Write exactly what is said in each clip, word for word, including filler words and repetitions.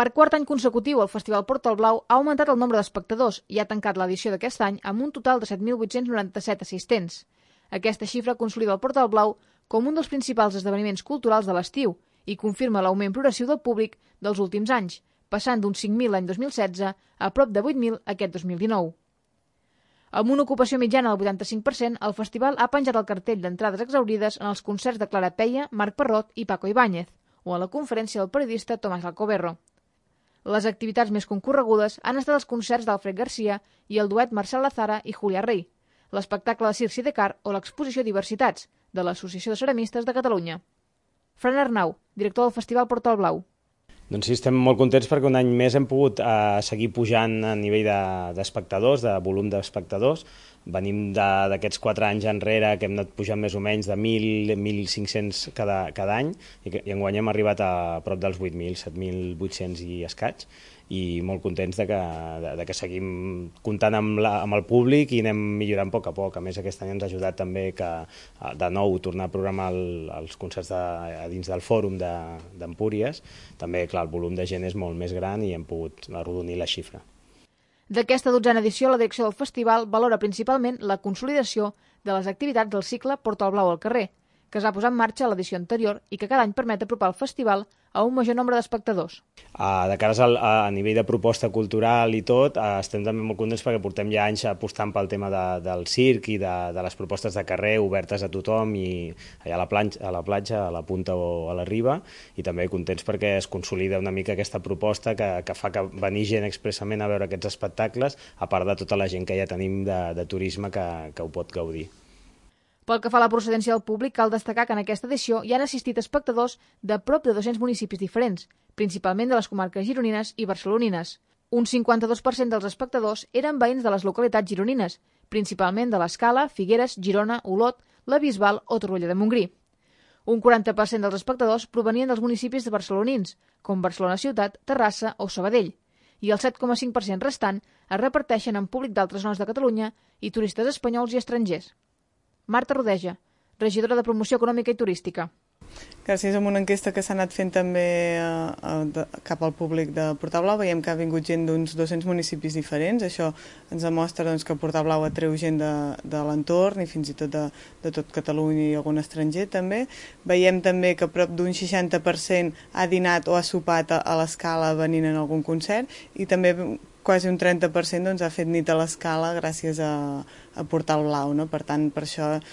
Per quart any consecutiu, el Festival Portal Blau ha augmentat el nombre d'espectadors i ha tancat l'edició d'aquest any amb un total de set mil vuit-cents noranta-set assistents. Aquesta xifra consolida el Portal Blau com un dels principals esdeveniments culturals de l'estiu i confirma l'augment progressiu del públic dels últims anys, passant d'uns cinc mil l'any dos mil setze a prop de vuit mil aquest dos mil dinou. Amb una ocupació mitjana del vuitanta-cinc per cent, el festival ha penjat el cartell d'entrades exaurides en els concerts de Clara Peia, Marc Parrot i Paco Ibáñez, o a la conferència del periodista Tomàs Alcoberro. Les activitats més concorregudes han estat els concerts d'Alfred Garcia i el duet Marcel Lazara i Julià Rey, l'espectacle de Circ Sidecar o l'exposició Diversitats, de l'Associació de Ceramistes de Catalunya. Fran Arnau, director del Festival Portal Blau. Doncs sí, estem molt contents perquè un any més hem pogut eh, seguir pujant a nivell d'espectadors, de, de volum d'espectadors. Venim d'aquests quatre anys enrere que hem anat pujant més o menys de mil a mil cinc-cents cada, cada any i, que, i enguany hem arribat a prop dels vuit mil, set mil vuit-cents i escaig, i molt contents de que, de, de que seguim comptant amb, la, amb el públic i anem millorant a poc a poc. A més, aquest any ens ha ajudat també que de nou tornar a programar el, els concerts de, a dins del fòrum d'Empúries. De, també, clar, el volum de gent és molt més gran i hem pogut arrodonir la xifra. D'aquesta dotzena edició, la direcció del festival valora principalment la consolidació de les activitats del cicle Portal Blau al carrer, que es va posar en marxa a l'edició anterior i que cada any permet apropar el festival a un major nombre d'espectadors. Uh, de cara a, a nivell de proposta cultural i tot, uh, estem també molt contents perquè portem ja anys apostant pel tema de, del circ i de, de les propostes de carrer obertes a tothom i allà a la, planxa, a la platja, a la punta o a la riba, i també contents perquè es consolida una mica aquesta proposta que, que fa que venir gent expressament a veure aquests espectacles, a part de tota la gent que ja tenim de, de turisme que, que ho pot gaudir. Pel que fa a la procedència del públic, cal destacar que en aquesta edició hi han assistit espectadors de prop de dos-cents municipis diferents, principalment de les comarques gironines i barcelonines. Un cinquanta-dos per cent dels espectadors eren veïns de les localitats gironines, principalment de l'Escala, Figueres, Girona, Olot, la Bisbal o Torroella de Montgrí. Un quaranta per cent dels espectadors provenien dels municipis de barcelonins, com Barcelona Ciutat, Terrassa o Sabadell, i el set coma cinc per cent restant es reparteixen en públic d'altres zones de Catalunya i turistes espanyols i estrangers. Marta Rodeja, regidora de Promoció Econòmica i Turística. Gràcies a una enquesta que s'ha anat fent també eh, de, cap al públic de Portal Blau, veiem que ha vingut gent d'uns dos-cents municipis diferents. Això ens demostra doncs, que Portal Blau atreu gent de, de l'entorn i fins i tot de, de tot Catalunya i algun estranger també. Veiem també que prop d'un seixanta per cent ha dinat o ha sopat a, a l'Escala venint en algun concert i també quasi un trenta per cent doncs, ha fet nit a l'Escala gràcies a, a Portal Blau. No? Per tant, per això eh,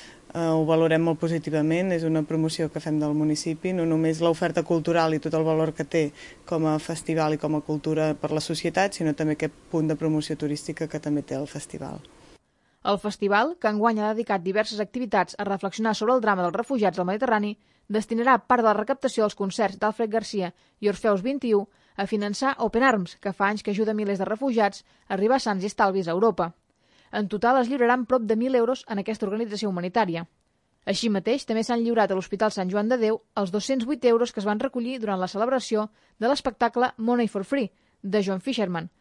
ho valorem molt positivament. És una promoció que fem del municipi, no només l'oferta cultural i tot el valor que té com a festival i com a cultura per la societat, sinó també aquest punt de promoció turística que també té el festival. El festival, que enguany ha dedicat diverses activitats a reflexionar sobre el drama dels refugiats del Mediterrani, destinarà part de la recaptació dels concerts d'Alfred Garcia i Orfeus vint i u a finançar Open Arms, que fa anys que ajuda milers de refugiats a arribar sans i estalvis a Europa. En total es lliuraran prop de mil euros en aquesta organització humanitària. Així mateix, també s'han lliurat a l'Hospital Sant Joan de Déu els dos-cents vuit euros que es van recollir durant la celebració de l'espectacle Money for Free, de John Fisherman.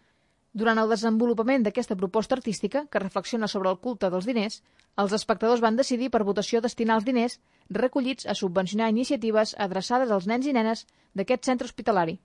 Durant el desenvolupament d'aquesta proposta artística, que reflexiona sobre el culte dels diners, els espectadors van decidir per votació destinar els diners recollits a subvencionar iniciatives adreçades als nens i nenes d'aquest centre hospitalari.